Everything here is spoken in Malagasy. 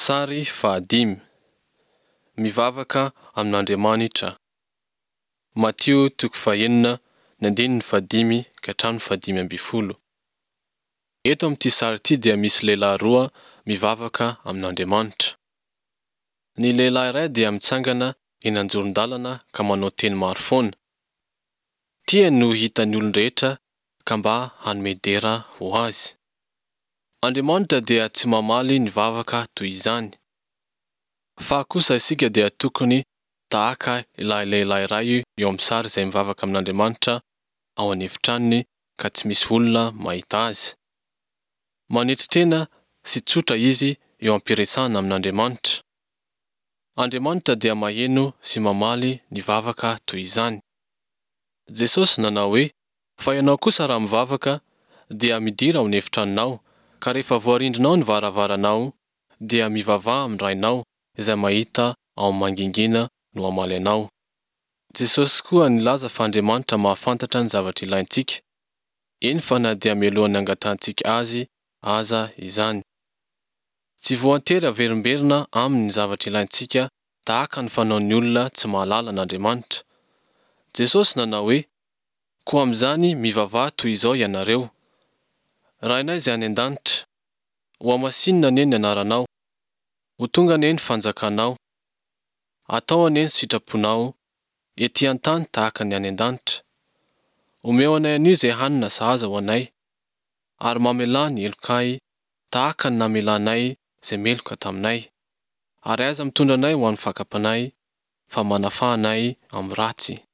Sary fahadimy. Mivavaka amin'Andriamanitra. Matio toko fahenina ny andininy fahadimy ka hatramin'ny fahadimy ambin'ny folo. Eto amin'ity sary ity dia misy lehilahy roa mivavaka amin'Andriamanitra. Ny lehilahy iray dia mitsangana eny anjoron-dalana ka manao teny maro foana. Tiany ny ho hitan'ny olon-drehetra ka mba hanome dera ho azy. Andriamanitra dia tsy mamaly ny vavaka toy izany. Fa kosa isika dia tokony tahaka ilay lehilahy iray eo amin'ny sary izay mivavaka amin'Andriamanitra ao an'efitranony ka tsy misy olona mahita azy. Manetry tena sy tsotra izy eo am-piresahana amin'Andriamanitra. Andriamanitra dia maheno sy mamaly ny vavaka toy izany. Jesosy nanao hoe, Fa ianao kosa raha mivavaka, dia midira ao an'efitranonao, ka rehefa voarindrinao ny varavaranao, dia mivavaha amin'ny Rainao izay mahita ao amin'ny mangingina no hamaly anao. Jesosy koa nilaza fa Andriamanitra mahafantatra ny zavatra ilaintsika, eny fa na dia mialohan'ny angatahantsika Azy aza izany. Tsy voantery averimberina Aminy ny zavatra ilaintsika tahaka ny fanaon'ny olona tsy mahalala an'Andriamanitra. Jesosy nanao hoe, Koa amin'izany mivavaha toy izao ianareo, Rainay izay any an-danitra, hohamasinina anie ny anaranao, ho tonga anie ny fanjakanao, atao anie ny sitraponao, ety an-tany tahaka ny any an-danitra. Omeo anay anio izay hanina sahaza ho anay, ary mamelà ny helokay tahaka ny namelanay izay meloka taminay. Ary aza mitondra anay ho amin'ny fakam-panahy, fa manafaha anay amin'ny ratsy.